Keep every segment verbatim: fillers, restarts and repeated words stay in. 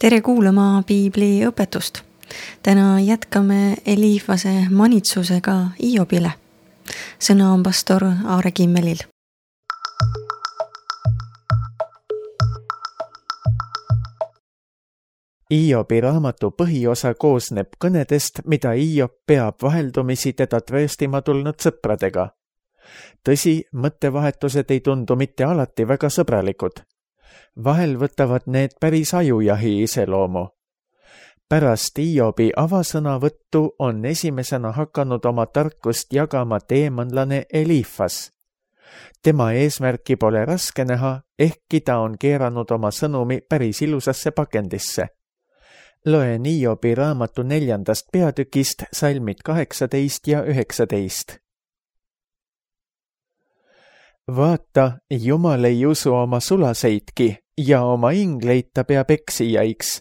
Tere kuulama Piibli õpetust. Täna jätkame Eliifase manitsusega Hiiobile. Sõna on pastor Aare Kimmelil. Hiobi raamatu põhiosa koosneb kõnedest, mida Hiob peab vaheldumisi teda trööstima tulnud sõpradega. Tõsi, mõttevahetused ei tundu mitte alati väga sõbralikud. Vahel võtavad need päris ajujahi iseloomu. Pärast Hiobi avasõnavõttu on esimesena hakanud oma tarkust jagama teemanlane Eliifas. Tema eesmärki pole raske näha, ehkki ta on keeranud oma sõnumi päris ilusasse pakendisse. Loen Hiobi raamatu neljandast peatükist salmid kaheksateist ja üheksateist. Vaata, Jumal ei usu oma sulaseidki ja oma ingleid ta peab eksijaiks,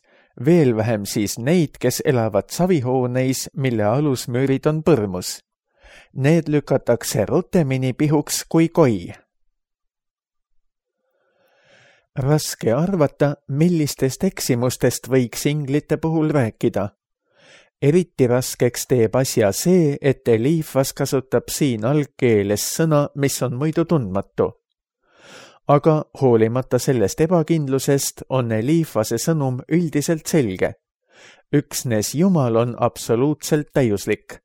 veel vähem siis neid, kes elavad savihooneis, mille alusmüürid on põrmus. Need lükatakse rutemini pihuks kui koi. Raske arvata, millistest eksimustest võiks inglite puhul rääkida. Eriti raskeks teeb asja see, et Eliifas kasutab siin algkeeles sõna, mis on muidu tundmatu. Aga hoolimata sellest ebakindlusest on Eliifase sõnum üldiselt selge. Üksnes Jumal on absoluutselt täiuslik.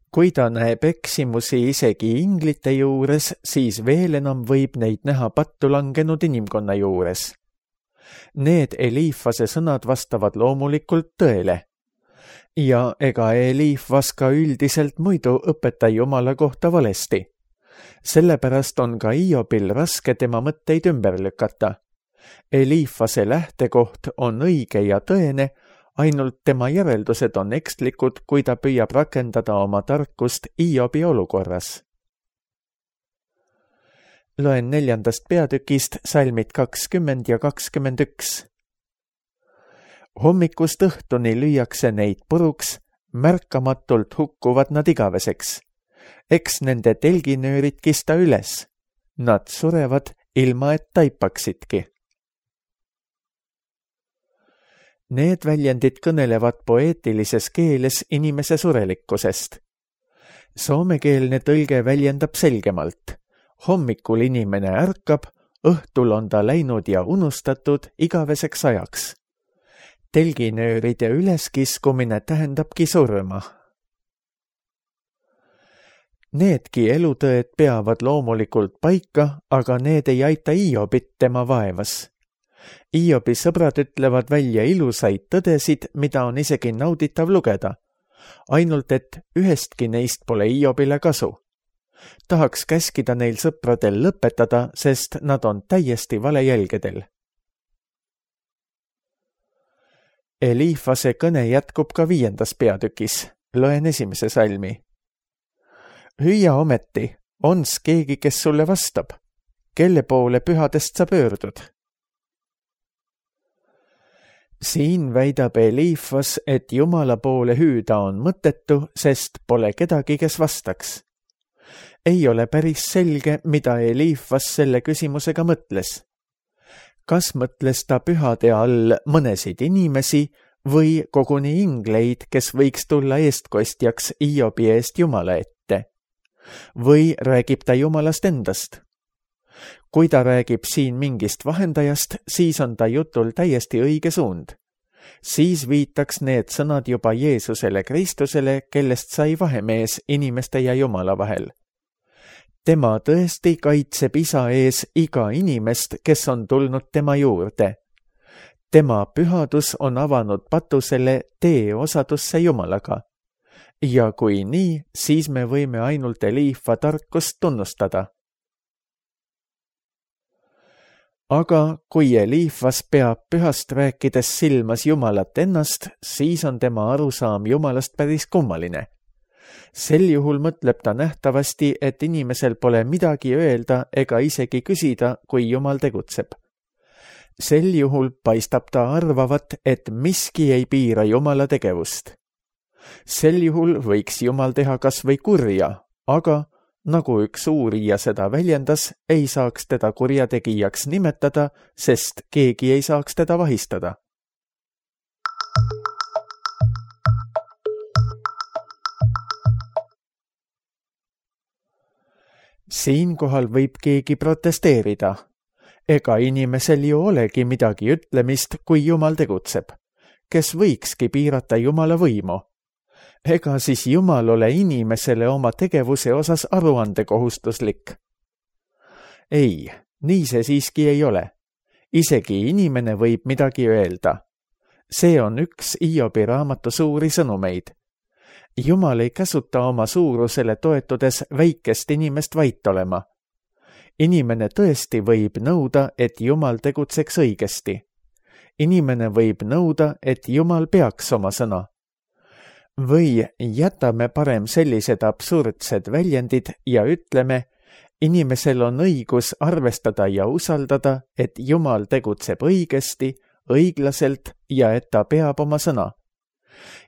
Kui ta näeb eksimusi isegi inglite juures, siis veel enam võib neid näha pattu langenud inimkonna juures. Need Eliifase sõnad vastavad loomulikult tõele. Ja ega Eliifas ka üldiselt muidu õpeta Jumala kohta valesti. Sellepärast on ka Hiobil raske tema mõtteid ümber lükata. Eliifase lähtekoht on õige ja tõene, ainult tema järeldused on ekslikud, kui ta püüab rakendada oma tarkust Hiobi olukorras. Loen neljandast peatükist salmid kakskümmend ja kakskümmend üks. Hommikust õhtuni lüüakse neid puruks, märkamatult hukkuvad nad igaveseks. Eks nende telginöörid kista üles. Nad surevad ilma et taipaksidki. Need väljendid kõnelevad poeetilises keeles inimese surelikkusest. Soomekeelne tõlge väljendab selgemalt. Hommikul inimene ärkab, õhtul on ta läinud ja unustatud igaveseks ajaks. Telginööride üleskiskumine tähendabki surma. Needki elutõed peavad loomulikult paika, aga need ei aita Hiobit tema vaevas. Hiobi sõbrad ütlevad välja ilusaid tõdesid, mida on isegi nauditav lugeda. Ainult et ühestki neist pole Hiobile kasu. Tahaks käskida neil sõpradel lõpetada, sest nad on täiesti valejälgedel. Eliifase kõne jätkub ka viiendas peatükis. Loen esimese salmi. Hüüa ometi, ons keegi, kes sulle vastab? Kelle poole pühadest sa pöördud? Siin väidab Eliifas, et Jumala poole hüüda on mõttetu, sest pole kedagi, kes vastaks. Ei ole päris selge, mida Eliifas selle küsimusega mõtles. Kas mõtles ta pühade all mõnesid inimesi või koguni ingleid, kes võiks tulla eestkostjaks Hiobi eest Jumala ette? Või räägib ta Jumalast endast? Kui ta räägib siin mingist vahendajast, siis on ta jutul täiesti õige suund. Siis viitaks need sõnad juba Jeesusele Kristusele, kellest sai vahemees inimeste ja Jumala vahel. Tema tõesti kaitseb isa ees iga inimest, kes on tulnud tema juurde. Tema pühadus on avanud patusele tee osadusse Jumalaga. Ja kui nii, siis me võime ainult Eliifa tarkust tunnustada. Aga kui Eliifas peab pühast rääkides silmas Jumalat ennast, siis on tema arusaam Jumalast päris kummaline. Sel juhul mõtleb ta nähtavasti, et inimesel pole midagi öelda ega isegi küsida, kui Jumal tegutseb. Sel juhul paistab ta arvavat, et miski ei piira Jumala tegevust. Sel juhul võiks Jumal teha kas või kurja, aga nagu üks uurija seda väljendas, ei saaks teda kurjategijaks nimetada, sest keegi ei saaks teda vahistada. siinkohal võib keegi protesteerida. Ega inimesel ju olegi midagi ütlemist, kui Jumal tegutseb, kes võikski piirata Jumala võimu. Ega siis Jumal ole inimesele oma tegevuse osas aruandekohustuslik? Ei, nii see siiski ei ole. Isegi inimene võib midagi öelda. See on üks Hiobi raamatu suuri sõnumeid. Jumal ei käsuta oma suurusele toetudes väikest inimest vait olema. Inimene tõesti võib nõuda, et Jumal tegutseks õigesti. Inimene võib nõuda, et Jumal peaks oma sõna. Või jätame parem sellised absurdsed väljendid ja ütleme, inimesel on õigus arvestada ja usaldada, et Jumal tegutseb õigesti, õiglaselt ja et ta peab oma sõna.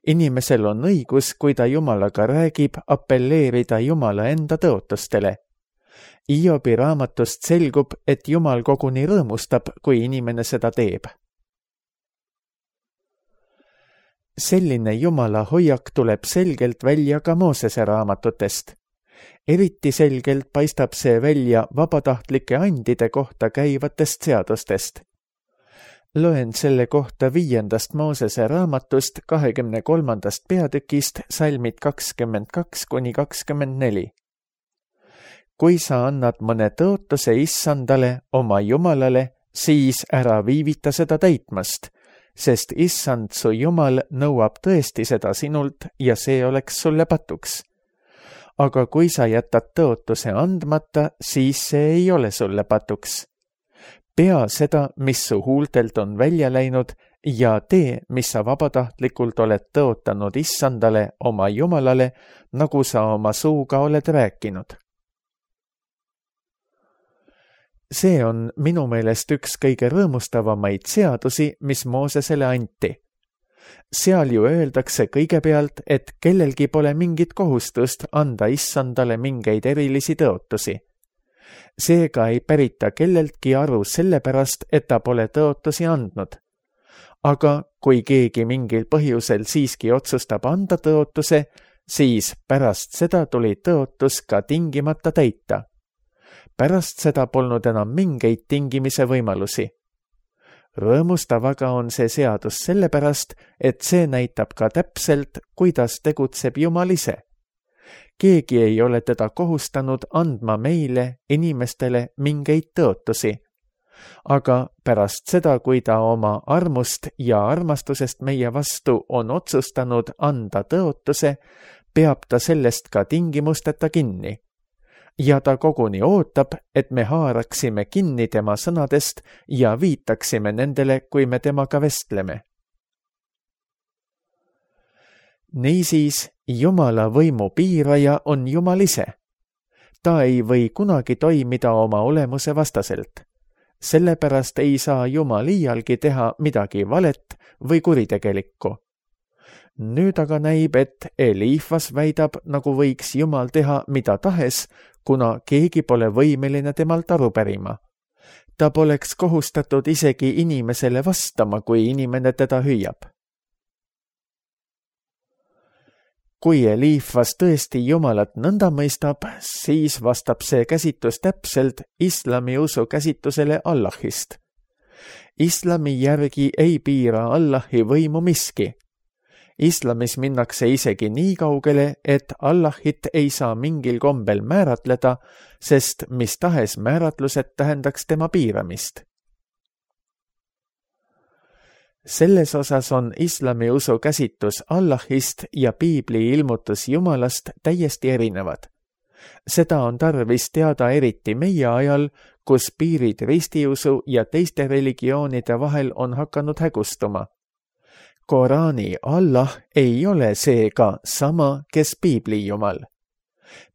Inimesel on õigus, kui ta Jumalaga räägib, appelleerida Jumala enda tõotustele. Hiobi raamatust selgub, et Jumal koguni rõõmustab, kui inimene seda teeb. Selline Jumala hoiak tuleb selgelt välja ka Moosese raamatutest. Eriti selgelt paistab see välja vabatahtlike andide kohta käivatest seadustest. Loen selle kohta viiendast Moosese raamatust kahekümne kolmandast peatükist salmid kakskümmend kaks kuni kakskümmend neli. Kui sa annad mõne tõotuse issandale, oma Jumalale, siis ära viivita seda täitmast, sest issand su Jumal nõuab tõesti seda sinult ja see oleks sulle patuks. Aga kui sa jätad tõotuse andmata, siis see ei ole sulle patuks. Pea seda, mis su huultelt on välja läinud ja tee, mis sa vabatahtlikult oled tõotanud issandale, oma Jumalale, nagu sa oma suuga oled rääkinud. See on minu meelest üks kõige rõõmustavamaid seadusi, mis Moosesele anti. Seal ju öeldakse kõigepealt, et kellelgi pole mingit kohustust anda issandale mingeid erilisi tõotusi. Seega ei pärita kelleltki aru sellepärast, et ta pole tõotusi andnud. Aga kui keegi mingil põhjusel siiski otsustab anda tõotuse, siis pärast seda tuli tõotus ka tingimata täita. Pärast seda polnud enam mingeid tingimise võimalusi. Rõõmustav aga on see seadus sellepärast, et see näitab ka täpselt, kuidas tegutseb Jumal ise. Keegi ei ole teda kohustanud andma meile, inimestele, mingeid tõotusi. Aga pärast seda, kui ta oma armust ja armastusest meie vastu on otsustanud anda tõotuse, peab ta sellest ka tingimusteta kinni. Ja ta koguni ootab, et me haaraksime kinni tema sõnadest ja viitaksime nendele, kui me temaga vestleme. Niisiis, Jumala võimu piiraja on Jumal ise. Ta ei või kunagi toimida oma olemuse vastaselt. Sellepärast ei saa Jumal iialgi teha midagi valet või kuritegelikku. Nüüd aga näib, et Eliifas väidab, nagu võiks Jumal teha mida tahes, kuna keegi pole võimeline temalt aru pärima. Ta poleks kohustatud isegi inimesele vastama, kui inimene teda hüüab. Kui Eliifas tõesti Jumalat nõnda mõistab, siis vastab see käsitus täpselt islami usu käsitusele Allahist. Islami järgi ei piira Allahi võimu miski. Islamis minnakse isegi nii kaugele, et Allahit ei saa mingil kombel määratleda, sest mis tahes määratlused tähendaks tema piiramist. Selles osas on islami usu käsitus Allahist ja piibli ilmutus Jumalast täiesti erinevad. Seda on tarvis teada eriti meie ajal, kus piirid ristiusu ja teiste religioonide vahel on hakanud hägustuma. Koraani Allah ei ole seega sama, kes piibli Jumal.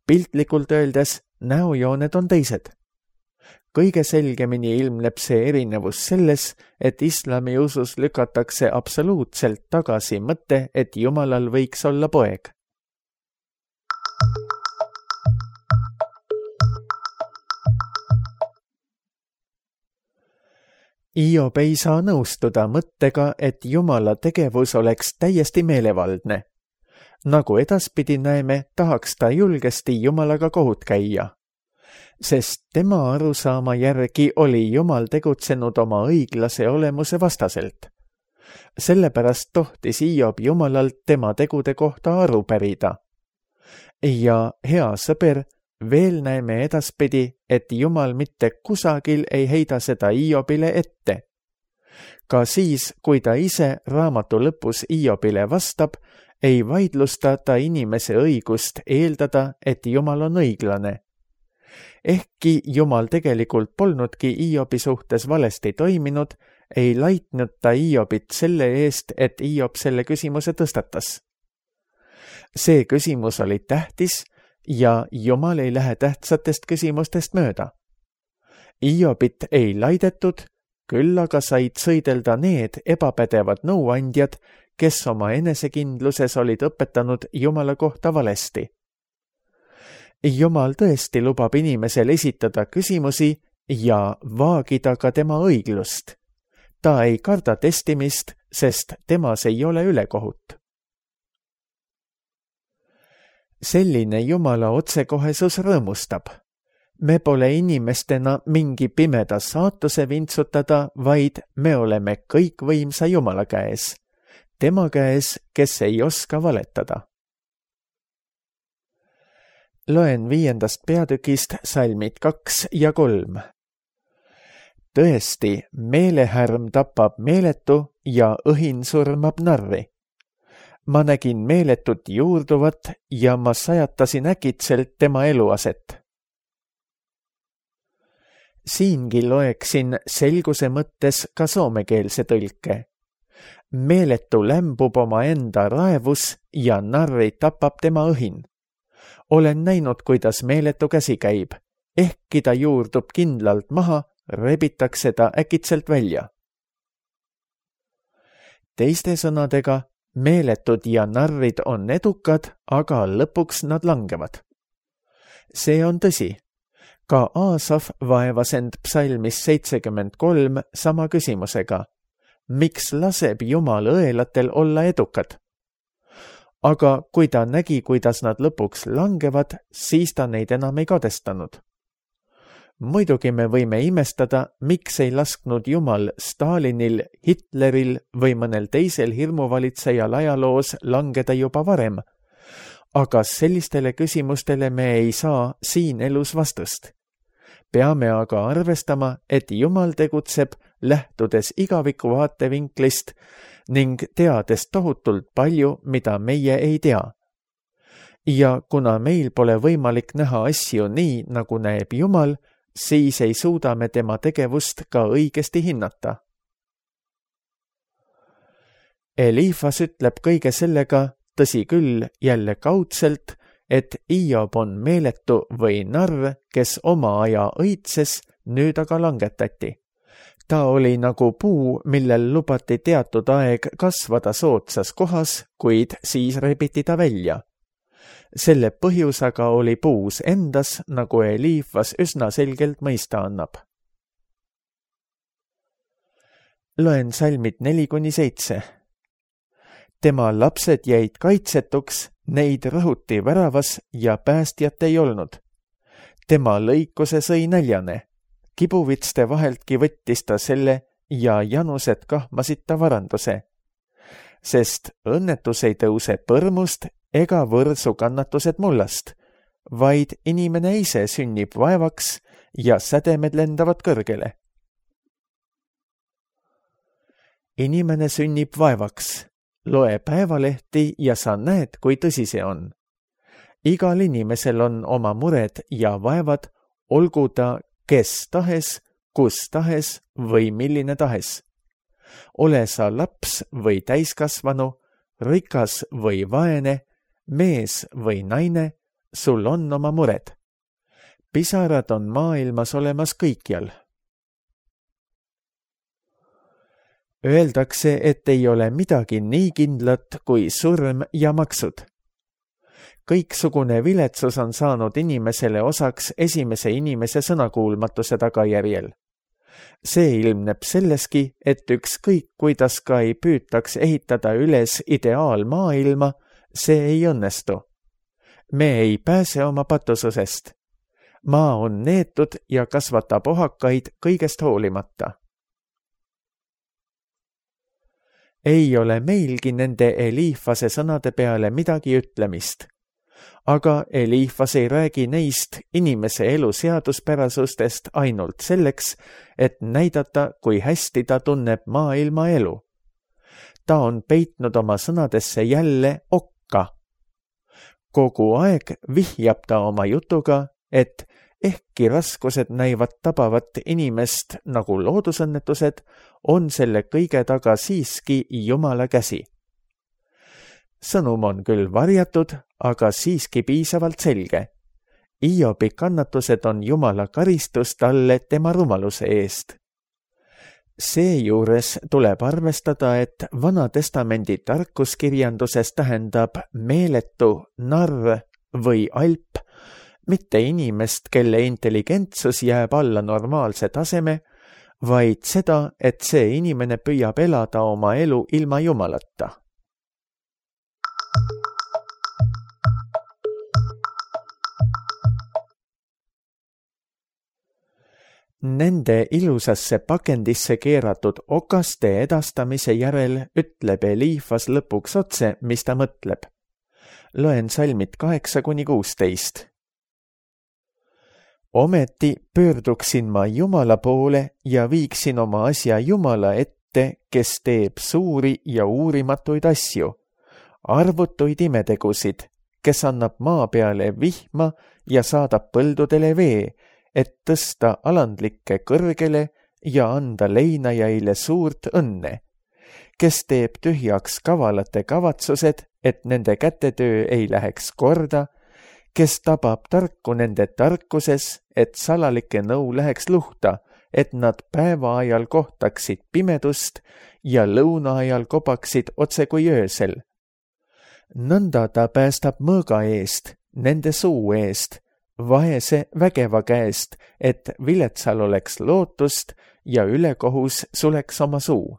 Piltlikult öeldes, näojooned on teised. Kõige selgemini ilmneb see erinevus selles, et islami usus lükatakse absoluutselt tagasi mõte, et Jumalal võiks olla poeg. Hiob ei saa nõustuda mõttega, et Jumala tegevus oleks täiesti meelevaldne. Nagu edaspidi näeme, tahaks ta julgesti Jumalaga kohut käia. sest tema arusaama järgi oli Jumal tegutsenud oma õiglase olemuse vastaselt. Sellepärast tohtis Hiob Jumalalt tema tegude kohta aru pärida. Ja hea sõber, veel näeme edaspidi, et Jumal mitte kusagil ei heida seda Hiobile ette. Ka siis, kui ta ise raamatu lõpus Hiobile vastab, ei vaidlusta ta inimese õigust eeldada, et Jumal on õiglane. Ehkki Jumal tegelikult polnudki Hiobi suhtes valesti toiminud, ei laitnud ta Hiobit selle eest, et Hiob selle küsimuse tõstatas. See küsimus oli tähtis ja Jumal ei lähe tähtsatest küsimustest mööda. Hiobit ei laidetud, küll aga said sõidelda need ebapädevad nõuandjad, kes oma enesekindluses olid õpetanud Jumala kohta valesti. Jumal tõesti lubab inimesel esitada küsimusi ja vaagida ka tema õiglust. Ta ei karda testimist, sest temas ei ole ülekohut. Selline Jumala otsekohesus rõõmustab. Me pole inimestena mingi pimeda saatuse vintsutada, vaid me oleme kõikvõimsa Jumala käes. Tema käes, kes ei oska valetada. Loen viiendast peatükist salmid kaks ja kolm. Tõesti, meelehärm tapab meeletu ja õhin surmab narri. Ma nägin meeletut juurduvat ja ma sajatasin äkitselt tema eluaset. Siingi loeksin selguse mõttes ka soomekeelse tõlke. Meeletu lämbub oma enda raevus ja narri tapab tema õhin. Olen näinud, kuidas meeletu käsi käib. Ehkki ta juurdub kindlalt maha, rebitakse ta äkitselt välja. Teiste sõnadega, meeletud ja narrid on edukad, aga lõpuks nad langevad. See on tõsi. Ka Aasaf vaevas end psalmis seitsekümmend kolm sama küsimusega. Miks laseb Jumal õelatel olla edukad? Aga kui ta nägi, kuidas nad lõpuks langevad, siis ta neid enam ei kadestanud. Muidugi me võime imestada, miks ei lasknud Jumal Stalinil, Hitleril või mõnel teisel hirmuvalitsejal ajaloos langeda juba varem, aga sellistele küsimustele me ei saa siin elus vastust. Peame aga arvestama, et Jumal tegutseb lähtudes igaviku vaatevinklist ning teades tohutult palju, mida meie ei tea. Ja kuna meil pole võimalik näha asju nii, nagu näeb Jumal, siis ei suuda me tema tegevust ka õigesti hinnata. Eliifas ütleb kõige sellega, tõsi küll, jälle kaudselt, et Hiob on meeletu või narr, kes oma aja õitses, nüüd aga langetati. Ta oli nagu puu, millel lubati teatud aeg kasvada soodsas kohas, kuid siis rebiti ta välja. Selle põhjus aga oli puus endas, nagu Eliifas üsna selgelt mõista annab. Loen salmid neli kuni seitse. Tema lapsed jäid kaitsetuks, neid rõhuti väravas ja päästjat ei olnud. Tema lõikuse sõi näljane. Kibuvitste vaheltki võttis ta selle ja janused kahmasid ta varanduse. Sest õnnetus ei tõuse põrmust ega võrsu kannatused mullast, vaid inimene ise sünnib vaevaks ja sädemed lendavad kõrgele. Inimene sünnib vaevaks. Loe päevalehti ja sa näed, kui tõsi see on. Igal inimesel on oma mured ja vaevad, olgu ta kes tahes, kus tahes või milline tahes. Ole sa laps või täiskasvanu, rikas või vaene, mees või naine, sul on oma mured. Pisarad on maailmas olemas kõikjal. Öeldakse, et ei ole midagi nii kindlat kui surm ja maksud. Kõiksugune viletsus on saanud inimesele osaks esimese inimese sõnakuulmatuse tagajärjel. See ilmneb selleski, et ükskõik kuidas ka ei püütaks ehitada üles ideaalmaailma, see ei õnnestu. Me ei pääse oma patususest. maa on neetud ja kasvatab ohakaid kõigest hoolimata. Ei ole meilgi nende Eliifase sõnade peale midagi ütlemist, aga Eliifas ei räägi neist inimese elu seaduspärasustest ainult selleks, et näidata, kui hästi ta tunneb maailma elu. Ta on peitnud oma sõnadesse jälle okka. Kogu aeg vihjab ta oma jutuga, et ehkki raskused näivad tabavat inimest nagu loodusõnnetused, on selle kõige taga siiski Jumala käsi. Sõnum on küll varjatud, aga siiski piisavalt selge. Hiobi kannatused on Jumala karistus talle tema rumaluse eest. Seejuures tuleb arvestada, et Vana-testamendi tarkuskirjanduses tähendab meeletu, narr või alp, mitte inimest, kelle intelligentsus jääb alla normaalse taseme, vaid seda, et see inimene püüab elada oma elu ilma Jumalata. Nende ilusasse pakendisse keeratud okaste edastamise järel ütleb Eliifas lõpuks otse, mis ta mõtleb. Loen salmid kaheksa kuni kuusteist. Ometi pöörduksin ma Jumala poole ja viiksin oma asja Jumala ette, kes teeb suuri ja uurimatuid asju, arvutuid imetegusid, kes annab maa peale vihma ja saadab põldudele vee, et tõsta alandlikke kõrgele ja anda leinajaile suurt õnne, kes teeb tühjaks kavalate kavatsused, et nende kätetöö ei läheks korda, kes tabab tarku nende tarkuses, et salalike nõu läheks luhta, et nad päeva ajal kohtaksid pimedust ja lõuna ajal kobaksid otse kui öösel. Nõnda ta päästab mõõga eest, nende suu eest, vaese vägeva käest, et viletsal oleks lootust ja ülekohus suleks oma suu.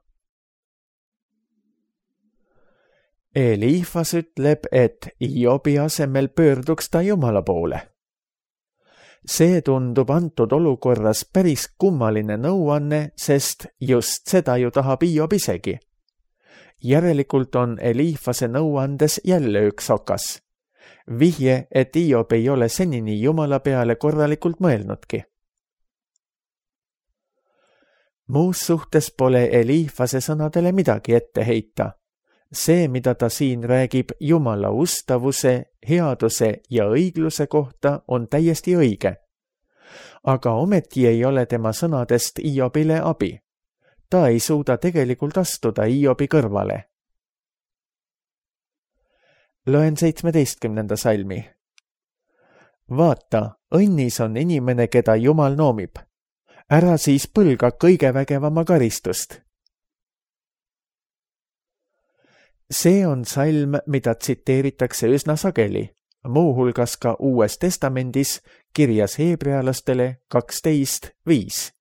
Eliifas ütleb, et Hiobi asemel pöörduks ta Jumala poole. See tundub antud olukorras päris kummaline nõuanne, sest just seda ju tahab Hiob isegi. Järelikult on Eliifase nõuandes jälle üks okas. Vihje, et Hiob ei ole senini Jumala peale korralikult mõelnudki. Muus suhtes pole Eliifase sõnadele midagi ette heita. See, mida ta siin räägib Jumala ustavuse, headuse ja õigluse kohta, on täiesti õige. Aga ometi ei ole tema sõnadest Hiobile abi. Ta ei suuda tegelikult astuda Hiobi kõrvale. Loen seitsmeteistkümnenda salmi. Vaata, õnnis on inimene, keda Jumal noomib. Ära siis põlga kõige vägevama karistust. See on salm, mida tsiteeritakse üsna sageli, muuhulgas ka Uues testamendis kirjas heebrealastele kaksteist viis.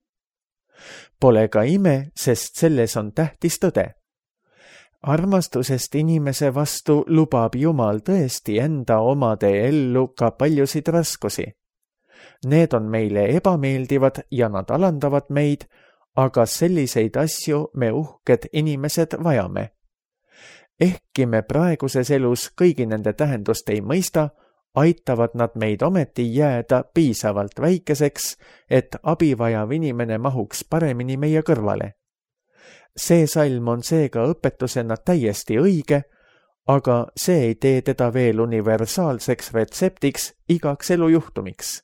Pole ka ime, sest selles on tähtis tõde. Armastusest inimese vastu lubab Jumal tõesti enda omade ellu ka paljusid raskusi. Need on meile ebameeldivad ja nad alandavad meid, aga selliseid asju me uhked inimesed vajame. Ehkki me praeguses elus kõigi nende tähendust ei mõista, aitavad nad meid ometi jääda piisavalt väikeseks, et abivajav inimene mahuks paremini meie kõrvale. See salm on seega õpetusena täiesti õige, aga see ei tee teda veel universaalseks retseptiks igaks elujuhtumiks.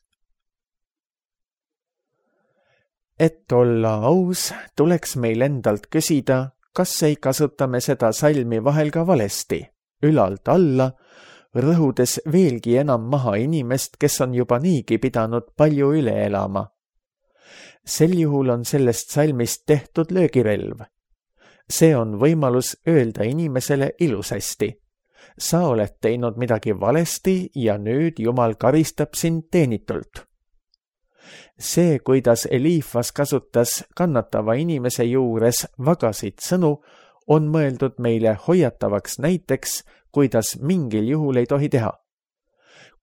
Et olla aus, tuleks meil endalt küsida, kas ei kasutame seda salmi vahel ka valesti, ülalt alla, rõhudes veelgi enam maha inimest, kes on juba niigi pidanud palju üle elama. Sel juhul on sellest salmist tehtud löögirelv. See on võimalus öelda inimesele ilusasti. Sa oled teinud midagi valesti ja nüüd Jumal karistab sind teenitult. See, kuidas Eliifas kasutas kannatava inimese juures vagasid sõnu, on mõeldud meile hoiatavaks näiteks, kuidas mingil juhul ei tohi teha.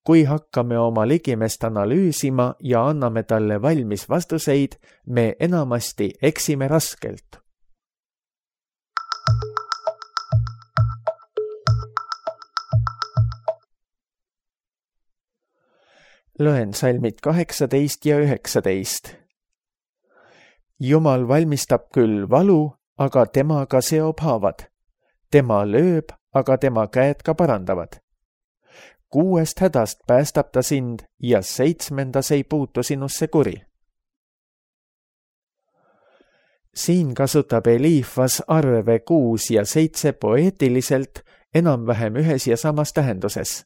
kui hakkame oma ligimest analüüsima ja anname talle valmis vastuseid, me enamasti eksime raskelt. Loen salmid kaheksateist ja üheksateist. Jumal valmistab küll valu, aga temaga seob haavad. Tema lööb, aga tema käed ka parandavad. Kuuest hädast päästab ta sind ja seitsmendas ei puutu sinusse kuri. Siin kasutab Eliifas arve kuus ja seitse poeetiliselt enam-vähem ühes ja samas tähenduses.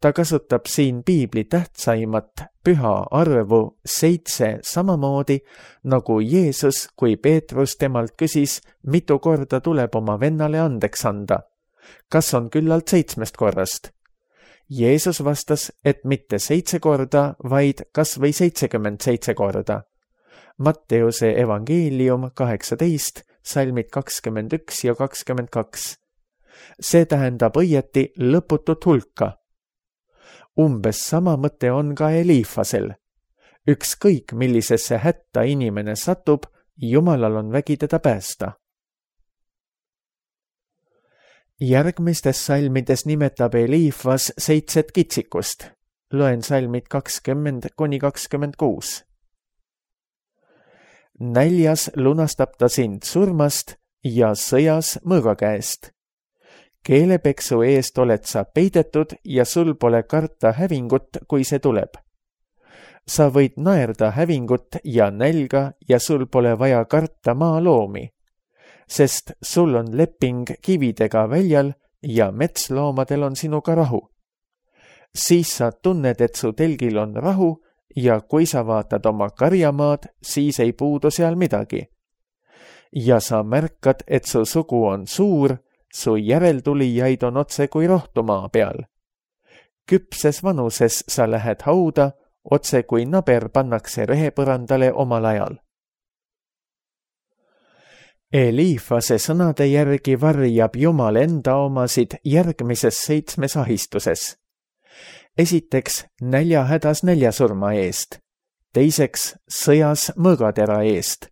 Ta kasutab siin piibli tähtsaimat püha arvu seitse samamoodi, nagu Jeesus, kui Peetrus temalt küsis, mitu korda tuleb oma vennale andeks anda. Kas on küllalt seitsmest korrast? Jeesus vastas, et mitte seitse korda, vaid kas või seitsekümmend seitse korda. Matteuse evangeelium kaheksateist, salmid kakskümmend üks ja kakskümmend kaks. See tähendab õieti lõputut hulka. Umbes sama mõte on ka Eliifasel. Ükskõik millisesse hätta inimene satub, Jumalal on vägi teda päästa. Järgmistes salmides nimetab Eliifas seitset kitsikust. Loen salmid kakskümmend kuni kakskümmend kuus. Näljas lunastab ta sind surmast ja sõjas mõõga käest. Keelepeksu eest oled sa peidetud ja sul pole karta hävingut, kui see tuleb. Sa võid naerda hävingut ja nälga ja sul pole vaja karta maaloomi, sest sul on leping kividega väljal ja metsloomadel on sinuga rahu. Siis sa tunned, et su telgil on rahu ja kui sa vaatad oma karjamaad, siis ei puudu seal midagi. Ja sa märkad, et su sugu on suur, su järeltulijaid on otse kui rohtumaa peal. Küpses vanuses sa lähed hauda, otse kui naber pannakse rehepõrandale omal ajal. Eliifase sõnade järgi varjab Jumal enda omasid järgmises seitsmes ahistuses. Esiteks näljahädas näljasurma eest, teiseks sõjas mõõgatera eest,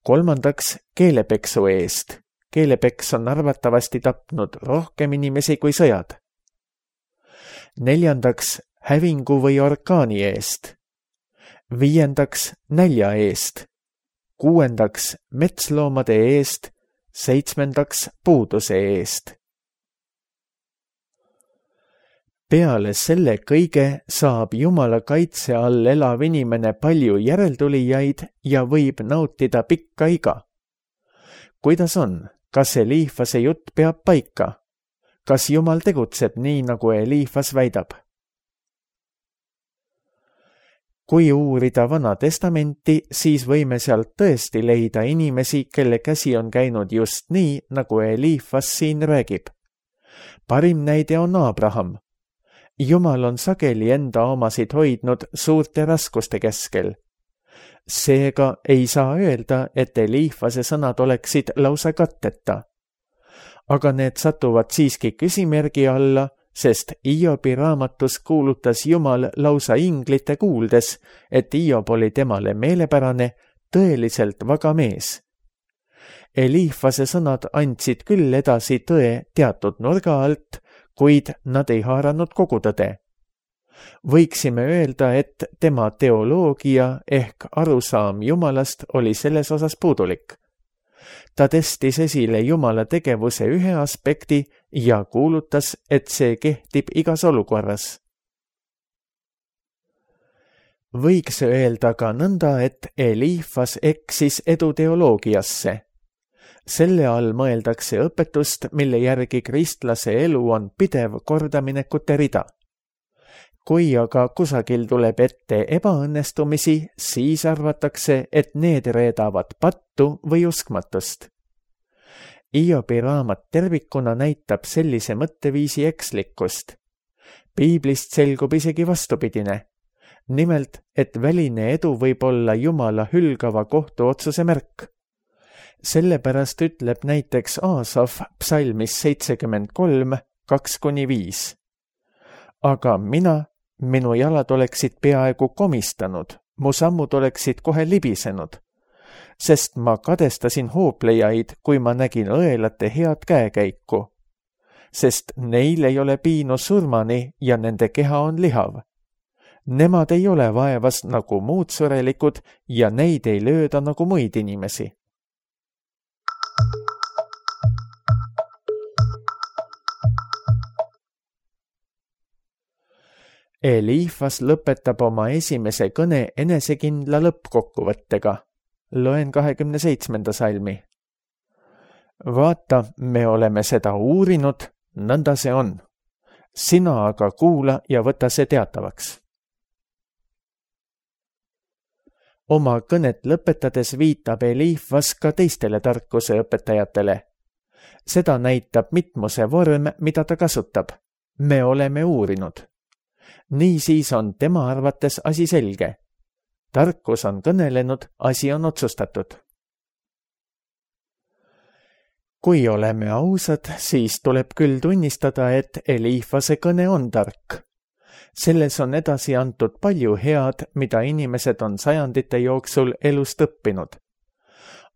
kolmandaks keelepeksu eest. Keelepeks on arvatavasti tapnud rohkem inimesi kui sõjad. Neljandaks hävingu või orkaani eest. Viiendaks nälja eest. Kuuendaks metsloomade eest. Seitsmendaks puuduse eest. Peale selle kõige saab Jumala kaitse all elav inimene palju järeltulijaid ja võib nautida pikka iga. Kuidas on? Kas Eliifase jutt peab paika? Kas Jumal tegutseb nii, nagu Eliifas väidab? Kui uurida Vana Testamenti, siis võime sealt tõesti leida inimesi, kelle käsi on käinud just nii, nagu Eliifas siin räägib. Parim näide on Abraham. Jumal on sageli enda omasid hoidnud suurte raskuste keskel. Seega ei saa öelda, et Eliifase sõnad oleksid lausa katteta. Aga need satuvad siiski küsimärgi alla, sest Iobi raamatus kuulutas Jumal lausa inglite kuuldes, et Iob oli temale meelepärane, tõeliselt vaga mees. Eliifase sõnad andsid küll edasi tõe teatud nurga alt, kuid nad ei haaranud kogu tõde. Võiksime öelda, et tema teoloogia ehk arusaam Jumalast oli selles osas puudulik. Ta tõstis esile Jumala tegevuse ühe aspekti ja kuulutas, et see kehtib igas olukorras. Võiks öelda ka nõnda, et Eliifas eksis eduteoloogiasse. Selle all mõeldakse õpetust, mille järgi kristlase elu on pidev kordaminekute rida. Kui aga kusagil tuleb ette ebaõnnestumisi, siis arvatakse, et need reedavad pattu või uskmatust. Iobi raamat tervikuna näitab sellise mõtteviisi ekslikkust. Piiblist selgub isegi vastupidine. Nimelt, et väline edu võib olla Jumala hülgava kohtuotsuse märk. Sellepärast ütleb näiteks Aasaf psalmis seitsekümmend kolm, kaks kuni viis. aga mina, minu jalad oleksid peaaegu komistanud, mu sammud oleksid kohe libisenud, sest ma kadestasin hooplejaid, kui ma nägin õelate head käekäiku, sest neil ei ole piinu surmani ja nende keha on lihav. Nemad ei ole vaevas nagu muud surelikud ja neid ei lööda nagu muid inimesi. Eliifas lõpetab oma esimese kõne enesekindla lõppkokkuvõttega. Loen kahekümne seitsmenda salmi. Vaata, me oleme seda uurinud, nõnda see on. Sina aga kuula ja võta see teatavaks. Oma kõnet lõpetades viitab Eliifas ka teistele tarkuse õpetajatele. Seda näitab mitmuse vorm, mida ta kasutab. Me oleme uurinud. Niisiis on tema arvates asi selge. Tarkus on kõnelenud, asi on otsustatud. Kui oleme ausad, siis tuleb küll tunnistada, et Eliifase kõne on tark. Selles on edasi antud palju head, mida inimesed on sajandite jooksul elust õppinud.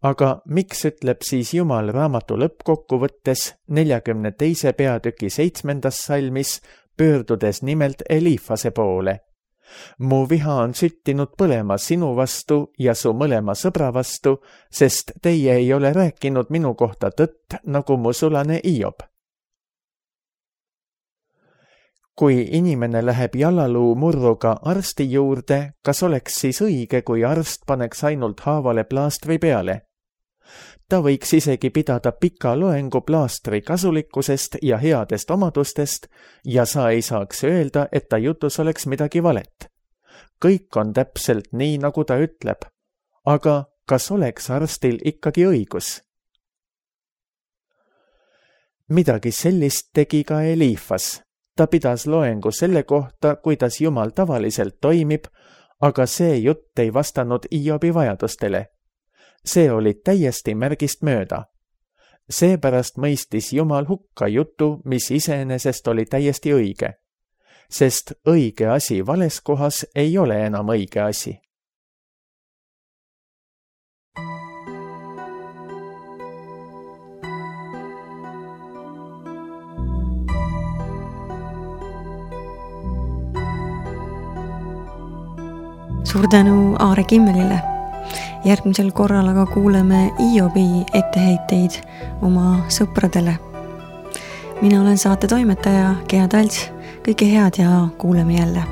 Aga miks ütleb siis Jumal raamatu lõppkokkuvõttes neljakümne teise peatüki seitsmendas salmis, pöördudes nimelt Eliifase poole? Mu viha on süttinud põlema sinu vastu ja su mõlema sõbra vastu, sest teie ei ole rääkinud minu kohta tõtt, nagu mu sulane Hiob. Kui inimene läheb jalaluu murruga arsti juurde, kas oleks siis õige, kui arst paneks ainult haavale plaastri peale? Ta võiks isegi pidada pika loengu plaastri kasulikkusest ja headest omadustest ja sa ei saaks öelda, et ta jutus oleks midagi valet. Kõik on täpselt nii, nagu ta ütleb. Aga kas oleks arstil ikkagi õigus? Midagi sellist tegi ka Eliifas. Ta pidas loengu selle kohta, kuidas Jumal tavaliselt toimib, aga see jutt ei vastanud Hiobi vajadustele. See oli täiesti märgist mööda. Seepärast mõistis Jumal hukka jutu, mis iseenesest oli täiesti õige. Sest õige asi vales kohas ei ole enam õige asi. Suur tänu Aare Kimmelile. Järgmisel korral aga kuuleme Hiobi etteheiteid oma sõpradele. Mina olen saate toimetaja Gea Talts. Kõike head ja kuuleme jälle.